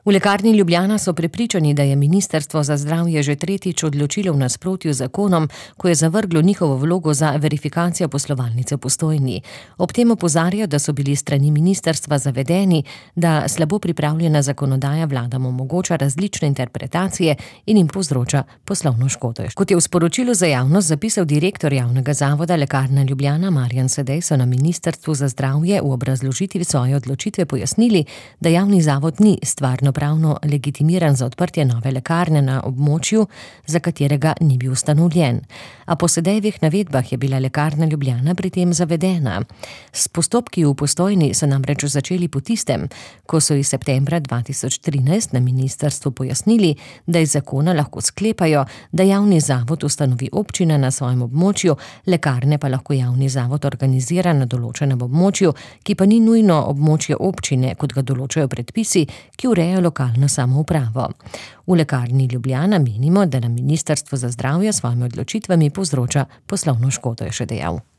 V Lekarni Ljubljana so prepričani, da je Ministrstvo za zdravje že tretjič odločilo v nasprotju z zakonom, ko je zavrglo njihovo vlogo za verifikacijo poslovalnice v Postojni. Ob tem opozarjajo, da so bili strani ministrstva zavedeni, da slabo pripravljena zakonodaja vladam omogoča različne interpretacije in jim povzroča poslovno škodo. Kot je v sporočilu za javnost zapisal direktor javnega zavoda Lekarna Ljubljana Marjan Sedej, so na Ministrstvu za zdravje v obrazložitvi svoje odločitve pojasnili, da javni zavod ni stvarnopravno legitimiran za odprtje nove lekarne na območju, za katerega ni bil ustanovljen. A po Sedejevih navedbah je bila Lekarna Ljubljana pri tem zavedena. S postopki v Postojni so namreč začeli po tistem, ko so iz septembra 2013 na ministrstvu pojasnili, da iz zakona lahko sklepajo, da javni zavod ustanovi občina na svojem območju, lekarne pa lahko javni zavod organizira na določenem območju, ki pa ni nujno območje občine, kot ga določajo predpisi, ki urejajo lokalno samoupravo. V Lekarni Ljubljana menimo, da nam Ministrstvo za zdravje s svojimi odločitvami povzroča poslovno škodo, je še dejal.